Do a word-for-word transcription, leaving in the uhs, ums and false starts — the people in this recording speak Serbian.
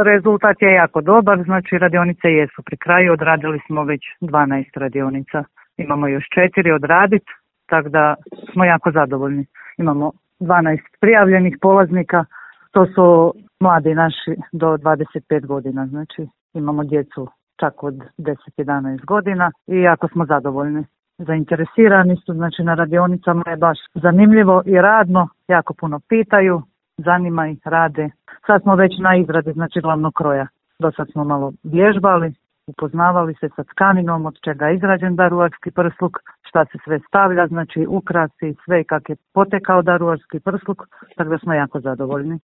rezultat je jako dobar, znači radionice jesu pri kraju, odradili smo već dvanaest radionica. Imamo još četiri odraditi, tako da smo jako zadovoljni. Imamo dvanaest prijavljenih polaznika, to su mladi naši do dvadeset pet godina, znači imamo djecu čak od deset do jedanaest godina i jako smo zadovoljni. Zainteresirani su, znači na radionicama je baš zanimljivo i radno, jako puno pitaju, zanima ih, rade. Sad smo već na izradi, znači glavnog kroja. Do sad smo malo vježbali, upoznavali se sa tkaninom, od čega je izrađen daruvarski prsluk, šta se sve stavlja, znači ukrasi, sve kak je potekao daruvarski prsluk, tako da smo jako zadovoljni.